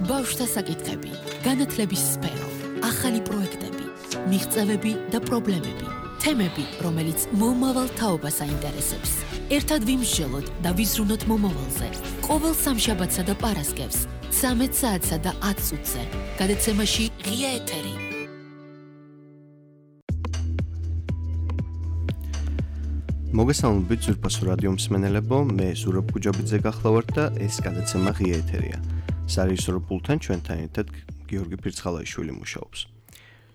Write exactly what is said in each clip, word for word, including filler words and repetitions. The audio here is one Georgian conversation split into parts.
ბავშვთა საკითხები, განათლების სფერო, ახალი პროექტები, მიღწევები და პრობლემები, თემები, რომელიც მომავალ თაობას აინტერესებს. ერთად ვიმსჯელოთ და ვიზრუნოთ მომავალზე. ყოველ სამშაბათსა და პარასკევს, ცამეტ საათსა და ათ წუთზე. გადაცემაში ღია ეთერი. მოგესალმებით ზურფასო რადიო მსმენელებო, მე ზურაბ გუჯაბიძე გახლავართ და ეს გადაცემა ღია ეთერია. სარეჟისორო პულტთან ჩვენთან ერთად გიორგი ფირცხალაიშვილი მუშაობს.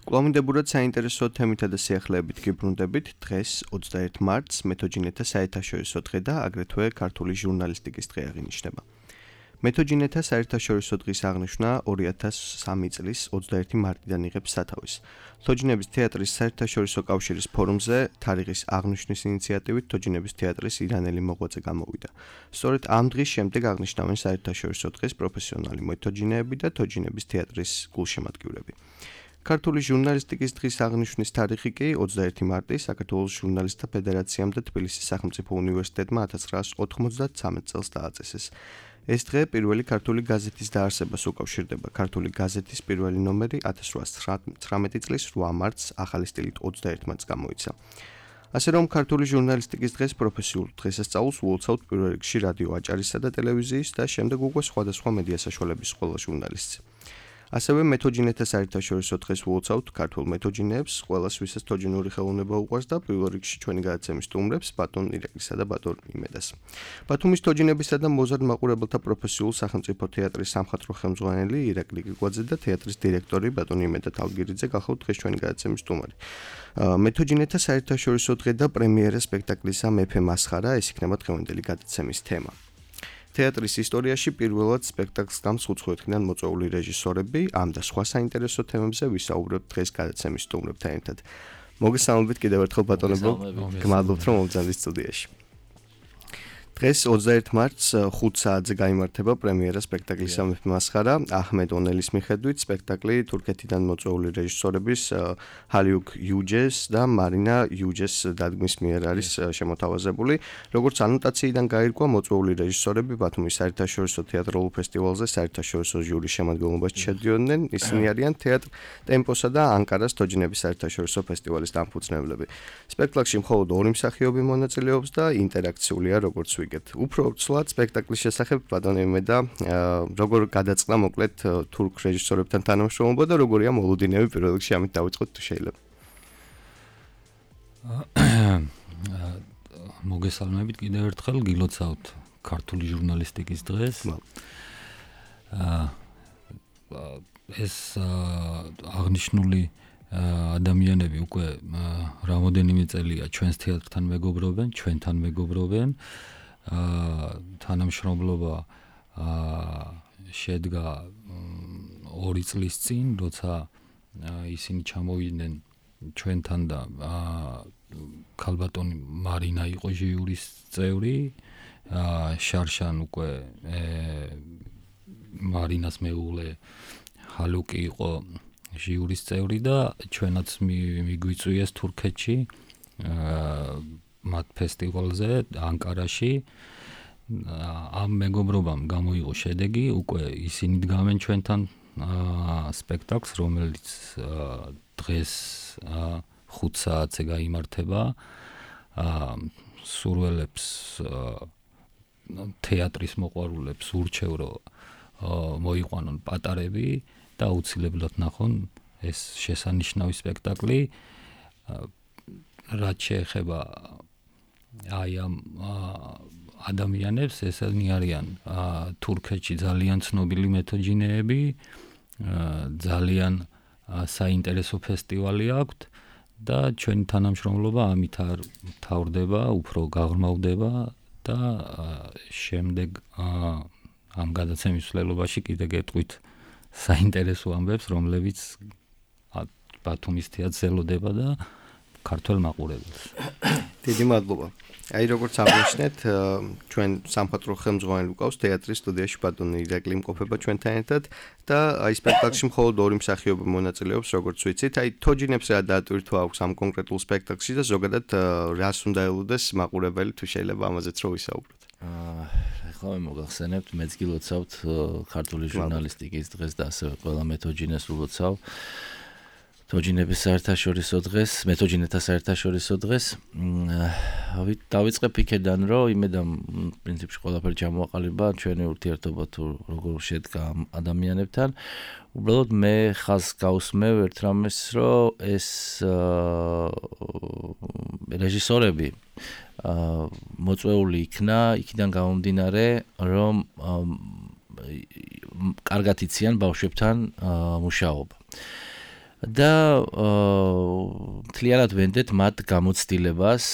კვლავინდებურად საინტერესო თემითა და სიახლეებით გიბრუნდებით. დღეს ოცდაერთი მარტს მეთოჯინეთა საერთაშორისო დღე და აგრეთვე ქართული ჟურნალისტიკის დღე აღინიშნება. მეთოჯინეთა საერთაშორისო დღის აღნიშვნა ორი ათას სამი წლის ოცდაერთი მარტიდან იღებს სათავეს. თოჯინების თეატრის საერთაშორისო კავშირის ფორუმზე თარიღის აღნიშვნის ინიციატივით თოჯინების თეატრის ირანელი მოღვაწე გამოვიდა. სწორედ ამ დღის შემდეგ აღნიშნავენ საერთაშორისო დღეს პროფესიონალი მეთოჯინეები და თოჯინების თეატრის გულშემატკივრები. ქართული ჟურნალისტიკის დღის აღნიშვნის თარიღი კი ოცდაერთი მარტი საქართველოს ჟურნალისტთა ფედერაციამ და თბილისის სახელმწიფო უნივერსიტეტმა ათას ცხრაასი ოთხმოცდათვრამეტ წელს დააწესეს. ეს დღე პირველი ქართული გაზეთის დაარსებას უკავშირდება. ქართული გაზეთის პირველი ნომერი ათას რვაასი ცხრამეტი წლის რვა მარტს ახალი სტილით ოცდაერთი მარტს გამოიცა. ასე რომ ქართული ჟურნალისტიკის დღეს პროფესიულ დღესასწაულს უოლცავთ პირველ რიგში რადიო აჭარისა და ტელევიზიის და შემდეგ უკვე სხვადასხვა მედია საშუალების ყველა ჟურნალისტს. ასევე მეთოჯინეთა საერთაშორისო დღეს უოლცავთ ქართულ მეთოჯინეებს, ყველას ვისაც თოჯინური ხელოვნება უყვარს და პირველ რიგში ჩვენი გადაცემის სტუმრებს, ბატონ ირაკლისა და ბატონ იმედას. ბათუმის თოჯინებისა და მოზარდ მაყურებელთა პროფესიულ სახელმწიფო თეატრის სამხატვრო ხელმძღვანელი ირაკლი გიგვაძე და თეატრის დირექტორი ბატონ იმედა თალგირიძე გახლავთ დღეს ჩვენი გადაცემის სტუმარი. მეთოჯინეთა საერთაშორისო დღე და პრემიერა სპექტაკლისა მეფე მასხარა, ეს იქნება დღევანდელი გადაცემის თემა. თეატრის ისტორიაში პირველად სპექტაკლს გამსხუთხვეთიდან მოწვეული რეჟისორები, ამ და სხვა საინტერესო თემებზე ვისაუბრებთ დღეს გადაცემის სტუმრებთან ერთად. მოგესალმებით კიდევ ერთხელ ბატონებო, გმადლობთ რომ მოვიძახეთ სტუდიაში. დღეს ოცდაერთი მარტს ხუთ საათზე გაიმართება პრემიერა სპექტაკლისა მეფე მასხარა. აჰმედ ონელის მიხედვით სპექტაკლი თურქეთიდან მოწვეული რეჟისორების ჰალიუკ იუჯეს და მარინა იუჯეს დადგმის მიერ არის შემოთავაზებული. როგორც ანოტაციიდან გაირკვა, მოწვეული რეჟისორები ბათუმის საერთაშორისო თეატრალურ ფესტივალზე საერთაშორისო ჟიურის შემადგენლობაში შედიოდნენ. ისინი არიან თეატრ ტემპოსა და ანკარას თოჯინების საერთაშორისო ფესტივალის დამფუძნებლები. სპექტაკლში მხოლოდ ორი მსახიობი მონაწილეობს და ინტერაქციულია როგორც უფრო ცვლად სპექტაკლის შესახებ ბატონ იმედა, როგორ გადაწყდა მოკლედ თურქ რეჟისორებთან თანამშრომლობა და როგორია მოლოდინები პირველ რიგში ამით დავიწყოთ თუ შეიძლება. მოგესალმებით კიდევ ერთხელ, გილოცავთ ქართული ჟურნალისტიკის დღეს. ეს აღნიშნული ადამიანები უკვე რამოდენიმე წელია ჩვენს თეატრთან მეგობრობენ, ჩვენთან მეგობრობენ. თანამშრომლობა შედგა ორი წლის წინ, როცა ისინი ჩამოვიდნენ ჩვენთან და ქალბატონი მარინა იყო ჟიურის წევრი, შარშან უკვე მარინას მეუღლე ჰალუკი იყო ჟიურის წევრი და ჩვენაც მიგვიწვიეს თურქეთში მათ ფესტივალზე ანკარაში. ამ მეგობრობამ გამოიღო შედეგი, უკვე ისინი დგამენ ჩვენთან სპექტაკლს, რომელიც დღეს ხუთ საათზე გაიმართება. სურველებს თეატრის მოყვარულებს ურჩევ, რომ მოიყვანონ პატარები და აუცილებლად ნახონ ეს შესანიშნავი სპექტაკლი. რაც შეეხება აი ამ ადამიანებს, ესენი არიან თურქეთში ძალიან ცნობილი მეთოჯინეები, ძალიან საინტერესო ფესტივალი აქვთ და ჩვენი თანამშრომლობა ამით არ მთავრდება, უფრო გაღრმავდება და შემდეგ ამ გადაცემის მსვლელობაში კიდე გეტყვით საინტერესო ამბებს, რომლებიც ბათუმის თეატრს ელოდება და ქართველ მაყურებელს. დიდი მადლობა. აი როგორც აღნიშნეთ, ჩვენ სამხატვრო ხელმძღვანელი გვყავს თეატრის სტუდიაში ბატონი ირაკლი იმყოფება ჩვენთან ერთად და აი სპექტაკლში მხოლოდ ორი მსახიობი მონაწილეობს, როგორც ვიცით. აი თოჯინებს რა დაატვირთვა აქვს ამ კონკრეტულ სპექტაკლში და ზოგადად რას უნდა ელოდეს მაყურებელი თუ შეიძლება ამაზეც რო ვისაუბროთ. ახლა მე მოგახსენებთ, მეც გილოცავთ ქართული ჟურნალისტიკის დღეს და ასევე ყველა მეთოჯინეს ულოცავ. თოჯინების საერთაშორისო დღეს, მეთოჯინეთა საერთაშორისო დღეს. დავიწყებ იქედან, რომ იმედამ პრინციპში ყველაფერი ჩამოაყალიბა ჩვენი ურთიერთობა თუ როგორ შედგა ადამიანებთან. უბრალოდ მე ხაზს გავსმევ ერთ რამეს, რომ ეს რეჟისორები მოწვეული იქნა იქიდან გამომდინარე, რომ კარგად იციან ბავშვებთან მუშაობა. და თლიანად ვენდეთ მათ გამოცდილებას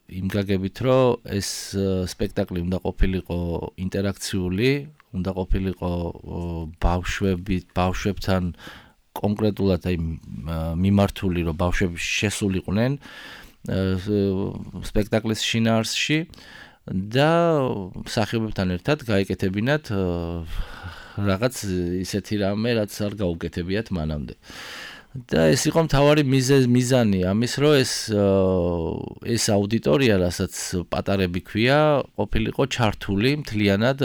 იმ გაგებით, რომ ეს სპექტაკლი უნდა ყოფილიყო ინტერაქციული, უნდა ყოფილიყო ბავშვები, ბავშვებთან კონკრეტულად აი მიმართული, რომ ბავშვები შესულიყვნენ სპექტაკლის შინაარსში და მსახიობებთან ერთად გაეკეთებინათ რაღაც ისეთი რამე, რაც არ გაუკეთებიათ მანამდე. და ეს იყო მთავარი მიზანი ამის, რომ ეს ეს აუდიტორია, რასაც პატარები ქვია, ყოფილიყო ჩართული მთლიანად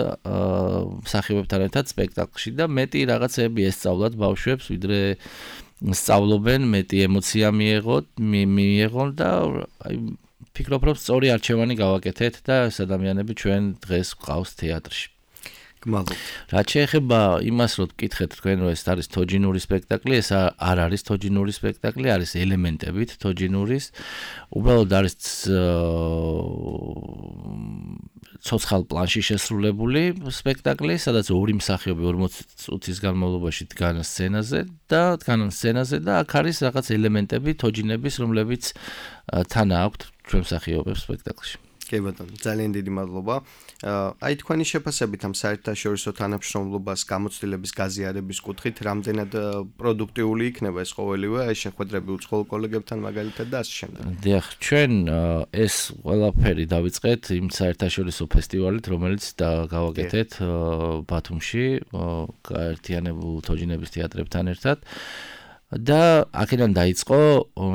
მსახიობებთან ერთად სპექტაკლში და მეტი რაღაცები ესწავლათ ბავშვებს, ვიდრე სწავლობენ, მეტი ემოცია მიეღოთ, მიეღონ და აი ფიქრობ, რომ სწორი არჩევანი გავაკეთეთ და ეს ადამიანები ჩვენ დღეს გვყავს თეატრში. გმადლობთ. რაც შეეხება იმას, რომ გკითხეთ თქვენ, რომ ეს არის თოჯინური სპექტაკლი, ეს არ არის თოჯინური სპექტაკლი, არის ელემენტებით თოჯინურის. უბრალოდ არის ცოცხალ პლანში შესრულებული სპექტაკლი, სადაც ორი მსახიობი ორმოცი წუთის განმავლობაში დგან სცენაზე და დგან სცენაზე და აქ არის რაღაც ელემენტები თოჯინების, რომლებიც თან აქვთ ჩვენ მსახიობებს სპექტაკლში. კი ბატონო, ძალიან დიდი მადლობა. აი თქვენი შეფასებით ამ საერთაშორისო თანამშრომლობას გამოცდილების გაზიარების კუთხით, რამდენად პროდუქტიული იქნება ეს ყოველივე, აი შეხვედრები უცხოელ კოლეგებთან მაგალითად და ასე შემდეგ. დიახ, ჩვენ ეს ყველაფერი დავიწყეთ იმ საერთაშორისო ფესტივალით, რომელიც გავაკეთეთ ბათუმში, გაერთიანებულ თოჯინების თეატრებთან ერთად. და აქედან დაიწყო,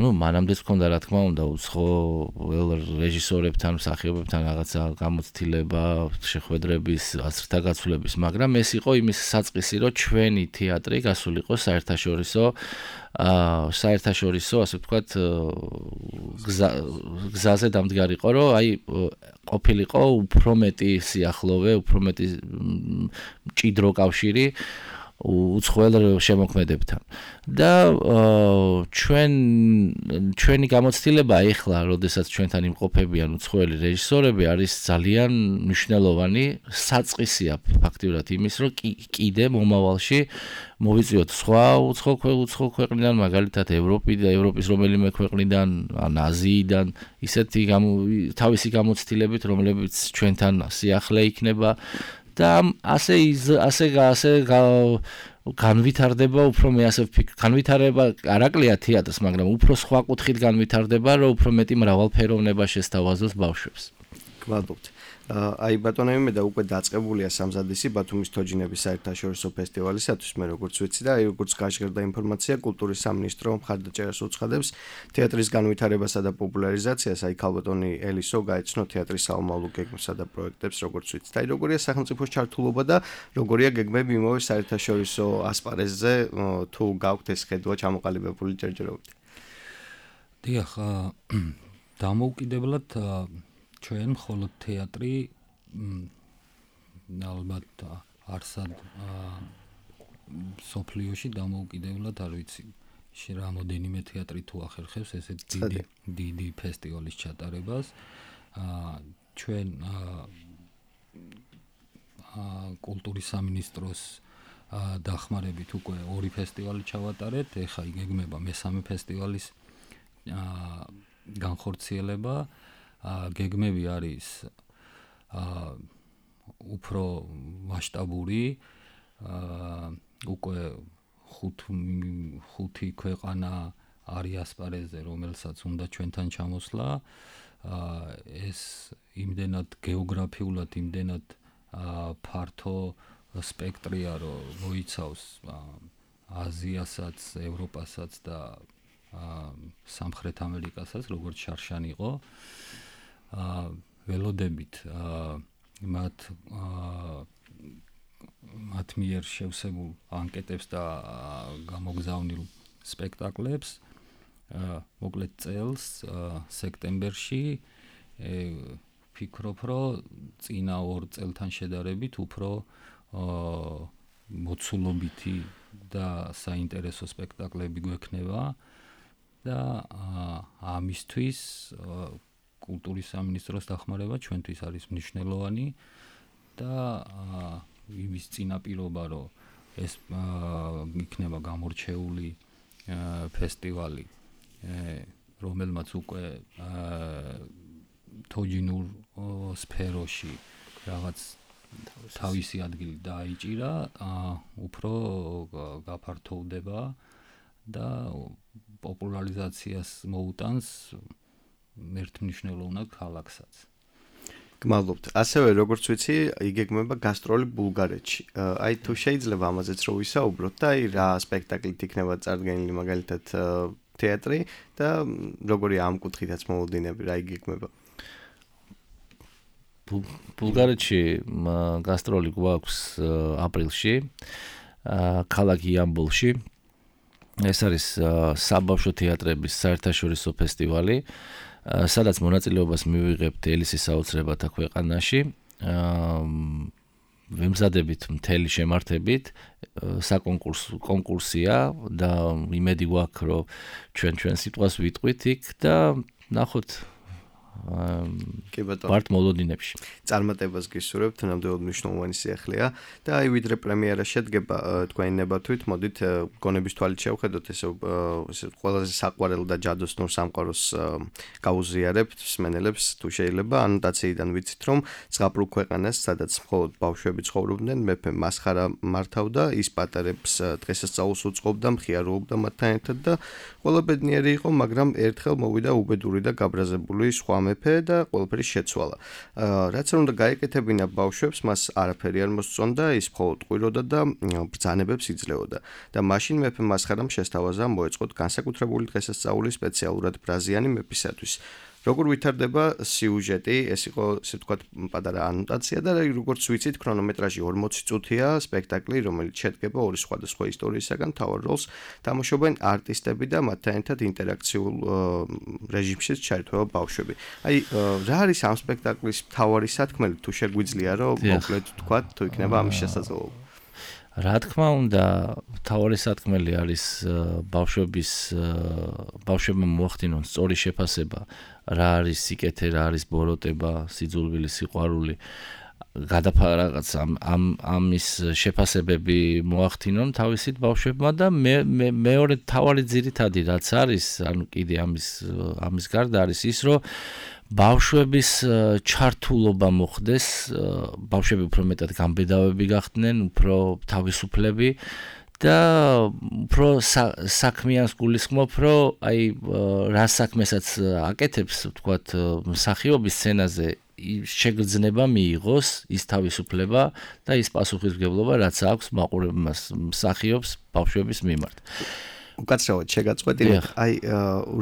ну, მანამდეც მქონდა რა თქმა უნდა უცხოელ რეჟისორებთან, მსახიობებთან რაღაცა გამოცდილება, შეხვედრების, ასრთა გაცვლების, მაგრამ ეს იყო იმის საწყისი, რომ ჩვენი თეატრი გასულიყო საერთაშორისო აა საერთაშორისო, ასე ვთქვათ, გზაზე დამდგარიყო, რომ აი ყოფილიყო უფრო მეტი სიახლოვე, უფრო მეტი მჭიდრო კავშირი უცხოელ შემოქმედებთან. და ჩვენ ჩვენი გამოცდილება ეხლა, როდესაც ჩვენთან იმყოფებიან უცხოელი რეჟისორები, არის ძალიან მნიშვნელოვანი საწყისია ფაქტიურად იმის, რომ კიდე მომავალში მოვიწვიოთ სხვა უცხო ქვეყნიდან, მაგალითად ევროპიდან, ევროპის რომელიმე ქვეყნიდან, ან აზიიდან, ისეთი თავისი გამოცდილებით, რომლებიც ჩვენთან სიახლე იქნება. და ასე ასე ასე განვითარდება, უფრო მე ასე ვფიქრობ, განვითარება არაკლია თეატრს, მაგრამ უფრო სხვა კუთხით განვითარდება, რომ უფრო მეტი მრავალფეროვნება შესთავაზოს ბავშვებს. გმადლობთ. აი ბატონო მე და უკვე დაწყებულია სამზადისი ბათუმის თოჯინების საერთაშორისო ფესტივალისათვის, მე როგორც ვიცი და აი როგორც გაჟღერდა ინფორმაცია, კულტურის სამინისტრო მხარდაჭერას უცხადებს თეატრის განვითარებასა და პოპულარიზაციას, აი ქალბატონი ელისო გაეცნო თეატრის საომავლო გეგმებსა და პროექტებს, როგორც ვიცით. აი როგორია სახელმწიფოს ჩართულობა და როგორია გეგმები იმავე საერთაშორისო ასპარეზზე, თუ გაქვთ ეს ხედვა ჩამოყალიბებული ჯერჯერობით. დიახ, დამოუკიდებლად ჩვენ მხოლოდ თეატრი ალბათ არსად სოფლიოში დამოუკიდებლად არ ვიცი რამოდენიმე თეატრი თუ ახერხებს ესეთ დიდი დიდი ფესტივალის ჩატარებას. ჩვენ კულტურის სამინისტროს დახმარებით უკვე ორი ფესტივალი ჩავატარეთ, ეხლა იგეგმება მესამე ფესტივალის განხორციელება. გეგმები არის უფრო მასშტაბური, უკვე ხუთი ქვეყანა არის ასპარეზზე, რომელსაც უნდა ჩვენთან ჩამოსვლა. ეს იმდენად გეოგრაფიულად, იმდენად ფართო სპექტრია, რომ მოიცავს აზიასაც, ევროპასაც და სამხრეთ ამერიკასაც, როგორც შარშან იყო. ველოდებით მათ მათ მიერ შევსებულ ანკეტებს და გამოგზავნილ სპექტაკლებს მოკლედ წელს სექტემბერში ფიქრობ, რომ წინა ორ წელთან შედარებით უფრო მოცულობითი და საინტერესო სპექტაკლები გვექნება და ამისთვის კულტურის სამინისტროს დახმარება ჩვენთვის არის მნიშვნელოვანი და იმის წინაპირობა, რომ ეს იქნება გამორჩეული ფესტივალი, რომელმაც უკვე თოჯინურ სფეროში რაღაც თავისი ადგილი დაიჭირა, უფრო გაფართოვდება და პოპულარიზაციას მოუტანს ერთმნიშვნელოვნად ქალაქსაც. გმადლობთ. ასევე როგორც ვიცი, იგეგმება გასტროლი ბულგარეთში. აი თუ შეიძლება ამაზეც რო ვისაუბროთ და აი რა სპექტაკლით იქნება წარდგენილი მაგალითად თეატრი და როგორი ამ კუთხითაც მოლოდინები რა იგეგმება. ბულგარეთში გასტროლი გვაქვს აპრილში, ქალაქ იამბოლში. ეს არის საბავშვო თეატრების საერთაშორისო ფესტივალი, სადაც მონაწილეობას მივიღებთ ელისის საოცრებათა ქვეყანაში. ვემზადებით მთელი შემართებით, საკონკურსო კონკურსია და იმედი გვაქვს, რომ ჩვენ ჩვენ სიტყვას ვიტყვით იქ და ნახოთ კი ბატონო. ვართ მოლოდინებში. წარმატებას გისურვებთ, ნამდვილად მნიშვნელოვანი სიახლეა და აი ვიდრე პრემიერა შედგება თქვენი ნებართვით, მოდით გონების თვალით შევხედოთ ესე ესე ყველაზე საყვარელ და ჯადოსნურ სამყაროს გაუზიარებთ მსმენელებს, თუ შეიძლება ანოტაციიდან ვიცით, რომ ზღაპრულ ქვეყანას, სადაც მხოლოდ ბავშვები ცხოვრობდნენ, მეფე მასხარა მართავდა, ის პატარებს დღესასწაულს უწყობდა, მხიარულობდა მათთან ერთად და ყველა ბედნიერი იყო, მაგრამ ერთხელ მოვიდა უბედური და გაბრაზებული სხვა მეფე და ყველაფერი შეცვალა. რაც არ უნდა გაეკეთებინა ბავშვებს, მას არაფერი არ მოსწონდა, ის მხოლოდ ყვიროდა და ბრძანებებს იძლეოდა. და მაშინ მეფე მასხარამ შესთავაზა მოეწყოთ განსაკუთრებული დღესასწაული სპეციალურად ბრაზიანი მეფისათვის. როგორ ვითარდება სიუჟეტი, ეს იყო ესე ვთქვათ პატარა ანოტაცია და როგორც ვიცით, ქრონომეტრაჟი ორმოცი წუთია სპექტაკლი, რომელიც შედგება ორი სხვადასხვა ისტორიისაგან, მთავარ როლს თამაშობენ არტისტები და მათთან ერთად ინტერაქციულ რეჟიმშიც ჩაერთვება ბავშვები. აი, რა არის ამ სპექტაკლის მთავარი სათქმელი, თუ შეგვიძლია, რომ მოკლედ ვთქვათ, თუ იქნება ამის შესაძლებლობა? რა თქმა უნდა, მთავარი სათქმელი არის ბავშვების ბავშვებმა მოახდინონ სწორი შეფასება, რა არის სიკეთე, რა არის ბოროტება, სიძულვილი, სიყვარული, გადაფარა რაღაც ამ ამ ამის შეფასებები მოახდინონ თავისით ბავშვებმა და მე მეორე მთავარი ძირითადი რაც არის, ანუ კიდე ამის ამის გარდა არის ის, რომ ბავშვების ჩართულობა მოხდეს, ბავშვები უფრო მეტად გამბედავები გახდნენ, უფრო თავისუფლები და უფრო საქმიანს გულისხმობ, რომ აი რა საქმესაც აკეთებს, ვთქვათ, მსახიობის სცენაზე შეგრძნება მიიღოს ის თავისუფლება და ის პასუხისმგებლობა, რაც აქვს მაყურებელს მსახიობს ბავშვების მიმართ. უკაცრავად შეგაწყვეტინეთ, აი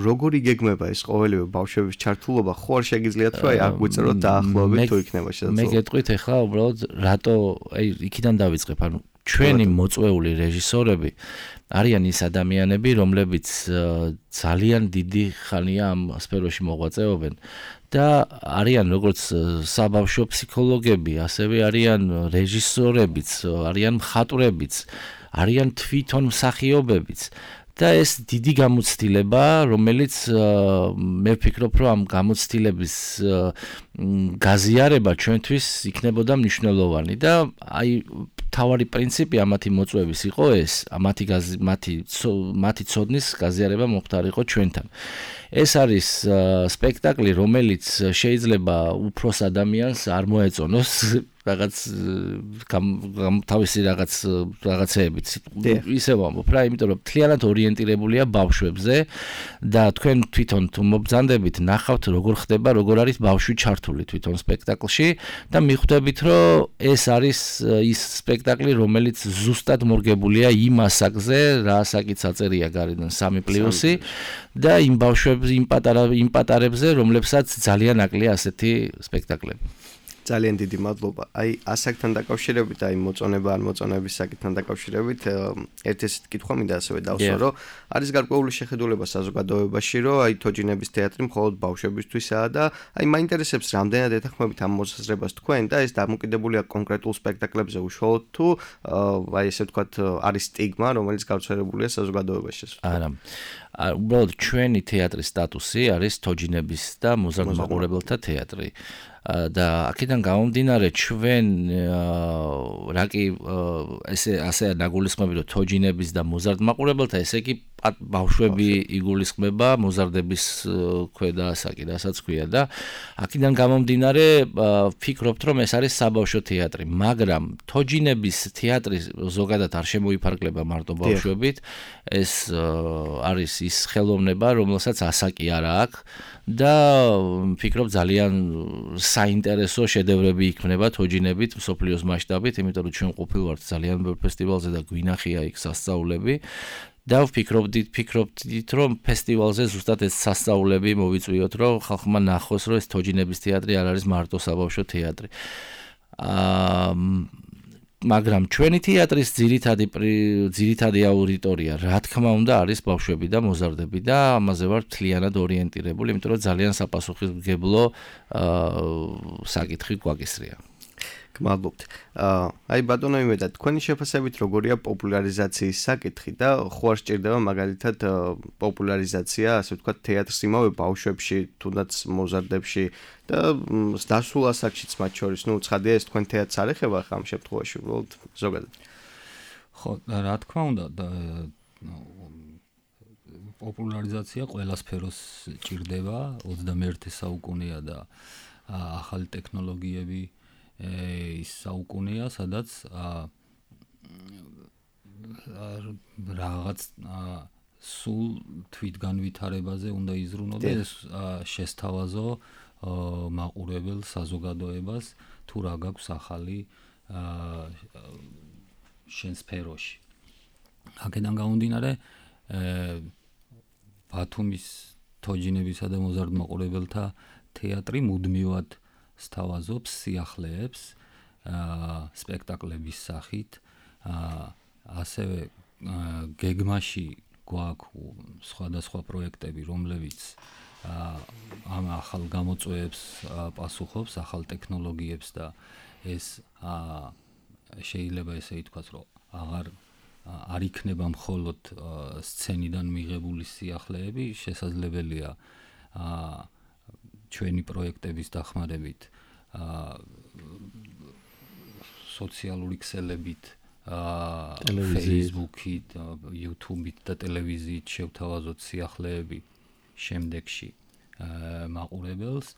როგორ იგეგმება ეს ყოველივე ბავშვების ჩართულობა, ხო არ შეგიძლიათ რომ აი აგვიწეროთ დაახლოებით თუ იქნება შესაძლებელი. მე გეტყვით ახლა უბრალოდ რატო აი იქიდან დავიწყებ, ანუ ჩვენი მოწვეული რეჟისორები არიან ის ადამიანები, რომლებიც ძალიან დიდი ხანია ამ სფეროში მოღვაწეობენ და არიან როგორც საბავშვო ფსიქოლოგები, ასევე არიან რეჟისორებიც, არიან მხატვრებიც, არიან თვითონ მსახიობებიც. და ეს დიდი გამოცდილება, რომელიც მე ვფიქრობ, რომ ამ გამოცდილების გაზიარება ჩვენთვის იქნებოდა მნიშვნელოვანი და აი თავარი პრინციპი ამათი მოწვევის იყო ეს, მათი მათი მათი ცოდნის გაზიარება მოხდარიყო ჩვენთან. ეს არის სპექტაკლი, რომელიც შეიძლება უფროს ადამიანს არ მოეწონოს რაღაც თავისი რაღაც რაღაცეებით ისე ვამბობ რა, იმიტომ რომ მთლიანად ორიენტირებულია ბავშვებზე და თქვენ თვითონ თუ მობრძანდებით ნახავთ როგორ ხდება, როგორ არის ბავშვი ჩართული თვითონ სპექტაკლში და მიხვდებით რომ ეს არის ის სპექტაკლი, რომელიც ზუსტად მორგებულია იმ ასაკზე, რა ასაკიც აწერია გარედან სამი პლუსი და იმ ბავშვებს, იმ პატარა იმ პატარებზე, რომლებსაც ძალიან აკლია ასეთი სპექტაკლები. ძალიან დიდი მადლობა. აი ასაკთან დაკავშირებით, აი მოწონება ან მოწონების საკითხთან დაკავშირებით, ერთ ესეთ კითხვა მინდა ასევე დავსვა, რომ არის გარკვეული შეხედულება საზოგადოებაში, რომ აი თოჯინების თეატრი მხოლოდ ბავშვებისთვისაა და აი მაინტერესებს რამდენად ეთანხმებით ამ მოსაზრებას თქვენ და ეს დამოკიდებულია კონკრეტულ სპექტაკლებზე უშუალოდ თუ აი ესე ვთქვათ არის სტიგმა, რომელიც გავრცელებულია საზოგადოებაში. არა. უბრალოდ ჩვენი თეატრის სტატუსი არის თოჯინების და მოზარდ მაყურებელთა თეატრი. და აქედან გამომდინარე ჩვენ რა კი ესე ასე ნაგულისხმები რომ თოჯინების და მოზარდ მაყურებელთა ესე კი ბავშვები იგულისხმება მოზარდების ქვედა ასაკი, რასაც ქვია და აქედან გამომდინარე ვფიქრობთ რომ ეს არის საბავშვო თეატრი, მაგრამ თოჯინების თეატრი ზოგადად არ შემოიფარგლება მარტო ბავშვებით, ეს არის ის ხელოვნება, რომელსაც ასაკი არ აქვს და ვფიქრობ ძალიან საინტერესო შედევრები იქნება თოჯინებით მსოფლიოს მასშტაბით, იმიტომ რომ ჩვენ ყოფილვართ ძალიან ბევრ ფესტივალზე და გვინახია იქ სასწაულები და ვფიქრობდით, ვფიქრობდით რომ ფესტივალზე ზუსტად ეს სასწაულები მოვიწვიოთ, რომ ხალხმა ნახოს, რომ ეს თოჯინების თეატრი არ არის მარტო საბავშვო თეატრი. აა მაგრამ ჩვენი თეატრის ძირითადი ძირითადი აუდიტორია, რა თქმა უნდა, არის ბავშვები და მოზარდები და ამაზე ვარ მთლიანად ორიენტირებული, იმიტომ რომ ძალიან საპასუხისმგებლო საკითხი გვაკისრია. გმადლობთ. აი ბატონო იმედა, თქვენი შეფასებით როგორია პოპულარიზაციის საკითხი და ხო არ სჭირდება მაგალითად პოპულარიზაცია, ასე ვთქვათ, თეატრს იმავე ბავშვებში, თუნდაც მოზარდებში და დასულ ასაკშიც მათ შორის, ნუ ცხადია ეს თქვენ თეატრს არ ეხება ხა ამ შემთხვევაში, უბრალოდ ზოგადად. ხო, რა თქმა უნდა, პოპულარიზაცია ყველა სფეროს ჭირდება, ოცდამეერთე საუკუნეა და ახალი ტექნოლოგიები ის საუკუნეა, სადაც რაღაც სულ თვითგანვითარებაზე უნდა იზრუნო და ეს შესთავაზო მაყურებელ საზოგადოებას თუ რა გაქვს ახალი შენ სფეროში. აქედან გამომდინარე, ბათუმის თოჯინებისა და მოზარდ მაყურებელთა თეატრი მუდმივად სთავაზობს სიახლეებს სპექტაკლების სახით, ასევე გეგმაში გვაქვს სხვადასხვა პროექტები, რომლებიც ამ ახალ გამოწვევებს პასუხობს, ახალ ტექნოლოგიებს და ეს შეიძლება ესე ითქვას, რომ აღარ არ იქნება მხოლოდ სცენიდან მიღებული სიახლეები, შესაძლებელია ჩვენი პროექტების დახმარებით სოციალური ქსელებით, Facebook-ით, YouTube-ით და ტელევიზიით შევთავაზოთ სიახლეები შემდეგში მაყურებელს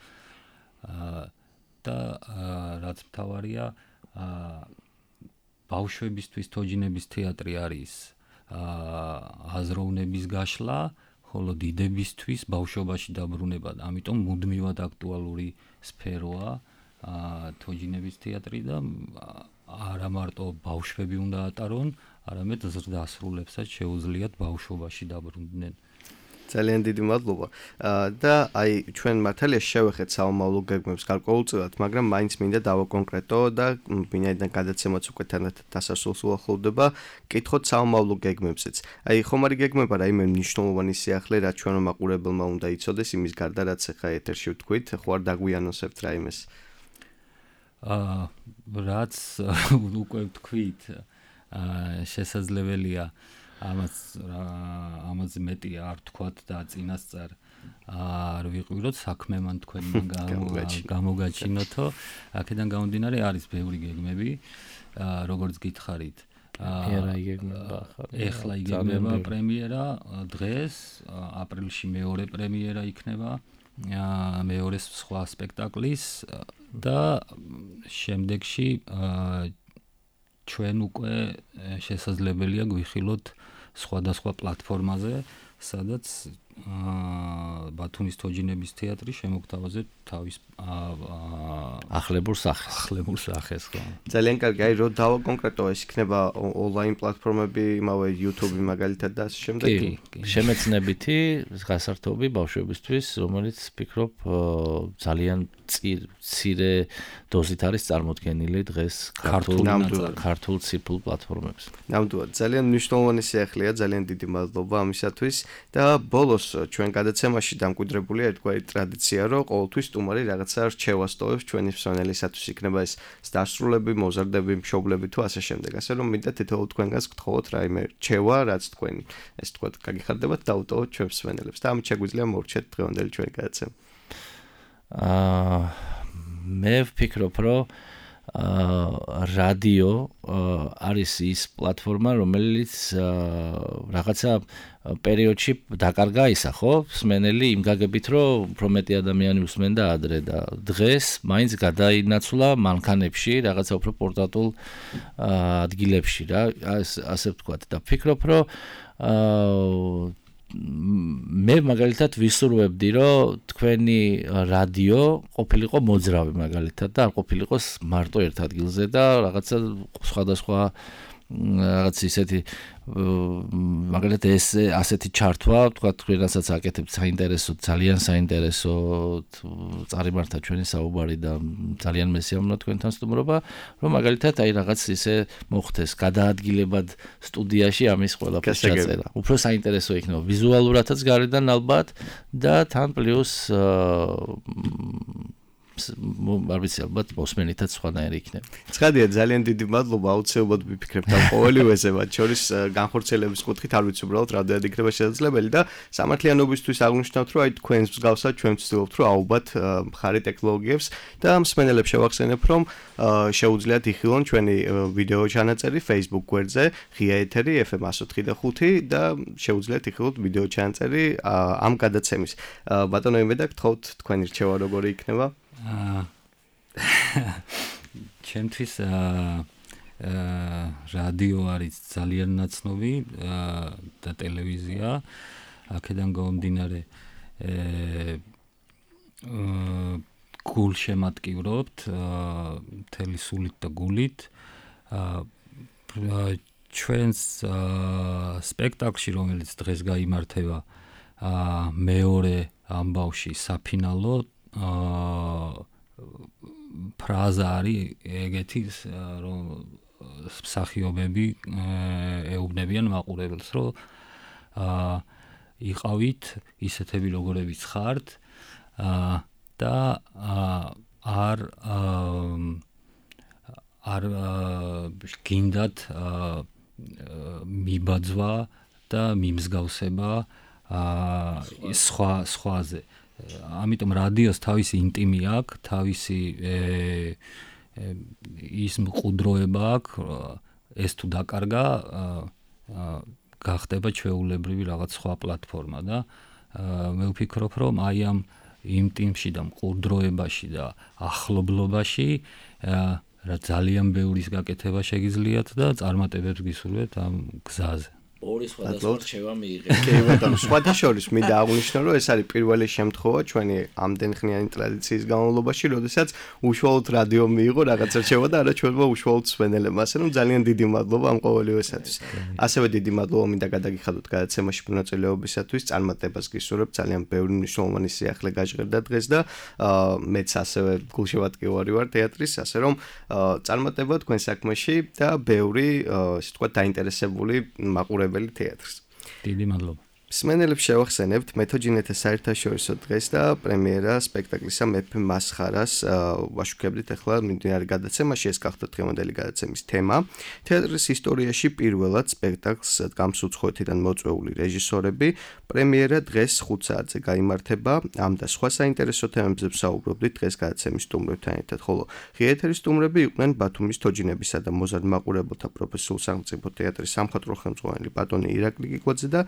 და რაც მთავარია, ბავშვებისთვის თოჯინების თეატრი არის აზროვნების გაშლა, ხოლო დიდებისთვის ბავშვობაში დაბრუნება, ამიტომ მუდმივად აქტუალური სფეროა თოჯინების თეატრი და არა მარტო ბავშვები უნდა ატარონ, არამედ ზრდასრულებსაც შეუძლიათ ბავშვობაში დაბრუნდნენ. ძალიან დიდი მადლობა. და აი ჩვენ მართალია შევეხეთ საომავლო გეგმებს გარკვეულწილად, მაგრამ მაინც მინდა დავაკონკრეტო და ვინაიდან გადაცემაც უკვე თანდათან დასასრულს უახლოვდება, კითხოთ საომავლო გეგმებზეც. აი ხომ არის გეგმება რაიმე მნიშვნელოვანი სიახლე, რაც ჩვენო მაყურებელმა უნდა იცოდეს იმის გარდა, რაც ახლა ეთერში ვთქვით, ხო არ დაგვიანონსებთ რაიმეს? აა რაც უკვე ვთქვით, შესაძლებელია ამას ამაზე მეტი არ თქვათ და წინასწარ არ ვიყვიროთ, საქმე მან თქვენ გამოგაჩინოთო. აქედან გამომდინარე არის ბევრი გეგმები, როგორც გითხარით. ეხლა იგეგმება პრემიერა დღეს, აპრილში მეორე პრემიერა იქნება მეორე სხვა სპექტაკლის და შემდეგში ჩვენ უკვე შესაძლებელია გვიხილოთ სხვადასხვა პლატფორმაზე, სადაც ბათუმის თოჯინების თეატრი შემოგთავაზებთ თავის ახლებურ სახეს. ახლებურ სახეს, ხო. ძალიან კარგი, აი რო დავა კონკრეტო ეს იქნება ონლაინ პლატფორმები, იმავე YouTube მაგალითად და ასე შემდეგ. კი, შემეცნებითი გასართობი ბავშვებისთვის, რომელიც ფიქრობ ძალიან მცირე დოზით არის წარმოდგენილი დღეს ქართულ ქართულ ციფრულ პლატფორმებზე. ნამდვილად, ძალიან მნიშვნელოვანი სიახლეა, ძალიან დიდი მადლობა ამისათვის და ბოლოს ჩვენ გადაცემაში დამკვიდრებულია ერთგვარი ტრადიცია, რომ ყოველთვის სტუმარი რაღაცა რჩევას ტოვებს ჩვენი მსმენელისათვის, იქნება ეს დასრულები, მოზარდები, მშობლები თუ ასე შემდეგ. ასე რომ მინდა თითოეულ თქვენგანს გთხოვოთ რაიმე რჩევა, რაც თქვენ ეს თქვა გაგიხარდებათ დაუტოვოთ ჩვენს მსმენელებს და ამით შეგვიძლია მორჩეთ დღევანდელი ჩვენი გადაცემა. აა მე ვფიქრობ, რომ აა რადიო არის ის პლატფორმა, რომელიც რაღაცა პერიოდში დაკარგა ისა, ხო? მსმენელი იმ გაგებით, რომ უფრო მეტი ადამიანი უსმენდა ადრე და დღეს მაინც გადაინაცვლა მანქანებში, რაღაცა უფრო პორტატულ ადგილებში რა, ასე ვთქვათ და ვფიქრობ, რომ აა მე მაგალითად ვისურვებდი, რომ თქვენი რადიო ყოფილიყო მოძრავი მაგალითად და არ ყოფილიყოს მარტო ერთ ადგილზე და რაღაცა სხვადასხვა რაღაც ისეთი მაგალითად ეს ასეთი ჩართვა, თქვა თქვენასაც აკეთებთ საინტერესო, ძალიან საინტერესო წარიმართა ჩვენი საუბარი და ძალიან მესიამოვნო თქვენთან სტუმრობა, რომ მაგალითად აი რაღაც ისე მოხდეს გადაადგილებად სტუდიაში ამის ყველაფერს ჩაწერა. უფრო საინტერესო იქნება ვიზუალურადაც გარედან ალბათ და თან პლუს არ ვიცი ალბათ მოსმენითაც სხვანაირი იქნება. ცხადია, ძალიან დიდი მადლობა, აუცილებლად ვიფიქრებთ ამ ყოველივეზე, მათ შორის განხორციელების კუთხით არ ვიცი უბრალოდ რამდენად იქნება შესაძლებელი და სამართლიანობისთვის აღნიშნავთ, რომ აი თქვენს მსგავსად ჩვენ ვცდილობთ, რომ აუბათ მხარი ტექნოლოგიებს და მსმენელებს შევახსენებ, რომ შეუძლიათ იხილონ ჩვენი ვიდეო ჩანაწერი Facebook გვერდზე, ღია ეთერი ეფ ემ one oh five და ხუთი და შეუძლიათ იხილოთ ვიდეო ჩანაწერი ამ გადაცემის. ბატონო იმედა, გთხოვთ თქვენი რჩევა როგორი იქნება? ჩემთვის რადიო არის ძალიან ნაცნობი და ტელევიზია აქედან გამომდინარე გულშემატკივრობთ მთელი სულით და გულით ჩვენს სპექტაკლში, რომელიც დღეს გაიმართება მეორე ამბავში საფინალო ფრაზა არის ეგეთი, რომ მსახიობები ეუბნებიან მაყურებელს, რომ იყავით ისეთები როგორებიც ხართ და არ არ გინდათ მიბაძვა და მიმსგავსება სხვა სხვაზე. ამიტომ რადიოს თავისი ინტიმი აქვს, თავისი ის მყუდროება აქვს, ეს თუ დაკარგა, გახდება ჩვეულებრივი რაღაც სხვა პლატფორმა და მე ვფიქრობ, რომ აი ამ ინტიმში და მყუდროებაში და ახლობლობაში რა ძალიან ბევრის გაკეთება შეგიძლიათ და წარმატებებს გისურვებთ ამ გზაზე. ორი სხვადასხვა რჩევა მიიღეთ. კი, ბატონო, სხვადასხვა მინდა აღვნიშნო, რომ ეს არის პირველი შემთხვევა ჩვენი ამდენხნიანი ტრადიციის განმავლობაში, როდესაც უშუალოდ რადიო მიიღო რაღაც რჩევა და არა ჩვენმა უშუალოდ მსმენელებმა. ასე რომ ძალიან დიდი მადლობა ამ ყოველივესათვის. ასევე დიდი მადლობა მინდა გადაგიხადოთ გადაცემაში მონაწილეობისათვის, წარმატებას გისურვებ, ძალიან ბევრი მნიშვნელოვანი სიახლე გაჟღერდა დღეს და მეც ასევე გულშემატკივარი ვარ თეატრის, ასე რომ წარმატება თქვენ საქმეში და ბევრი, ასე ვთქვათ, დაინტერესებული მაყურებელი თეატრს. დიდი მადლობა. მსმენელებს შევახსენებთ მეთოჯინეთა საერთაშორისო დღეს და პრემიერა სპექტაკლისა მეფე მასხარას ვაშუქებდით ახლა მიმდინარე გადაცემაში, ეს გახდა დღევანდელი გადაცემის თემა. თეატრის ისტორიაში პირველად სპექტაკლს გამსუცხოეთიდან მოწვეული რეჟისორები. პრემიერა დღეს ხუთ საათზე გაიმართება. ამ და სხვა საინტერესო თემებზე ვსაუბრობდით დღეს გადაცემის სტუმრებთან ერთად, ხოლო ღია ეთერის სტუმრები იყვნენ ბათუმის თოჯინებისა და მოზარდ მაყურებელთა პროფესიულ სახელმწიფო თეატრის სამხატვრო ხელმძღვანელი ბატონი ირაკლი გიკვაძე და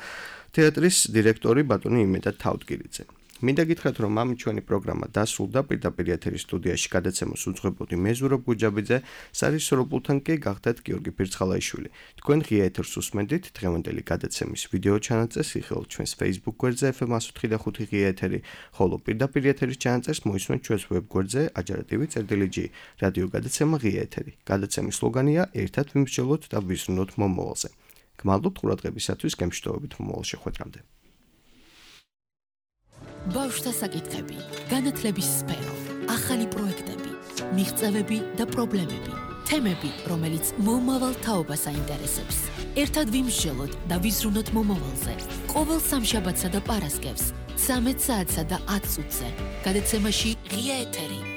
თეატრის დირექტორი ბატონი იმედა თავდგირიძე. მინდა გითხრათ, რომ ამ ჩვენი პროგრამა დასრულდა, პირდაპირ ეთერის სტუდიაში გადაცემას უძღვებოდი მე ზურაბ გუჯაბიძე, სარისორო პულტთან კი გახდათ გიორგი ფირცხალაიშვილი. თქვენ ღია ეთერს უსმენდით, დღევანდელი გადაცემის ვიდეო ჩანაწერს იხილეთ ჩვენს Facebook გვერდზე ეფ ემ one oh five point five ღია ეთერი, ხოლო პირდაპირ ეთერის ჩანაწერს მოისმენთ ჩვენს ვებ გვერდზე აჯარა.tv წერტილი ჯი. რადიო გადაცემა ღია ეთერი. გადაცემის სლოგანია ერთად ვიმსჯელოთ და ვიზრუნოთ მომავალზე. გმადლობთ ყურადღებისათვის, გემშვიდობებით მომავალ შეხვედრამდე. ბავშვთა საკითხები, განათლების სფერო, ახალი პროექტები, მიღწევები და პრობლემები, თემები, რომელიც მომავალ თაობას აინტერესებს. ერთად ვიმსჯელოთ და ვიზრუნოთ მომავალზე. ყოველ სამშაბათსა და პარასკევს, ცამეტ საათსა და ათ წუთზე. გადაცემაში ღია ეთერი.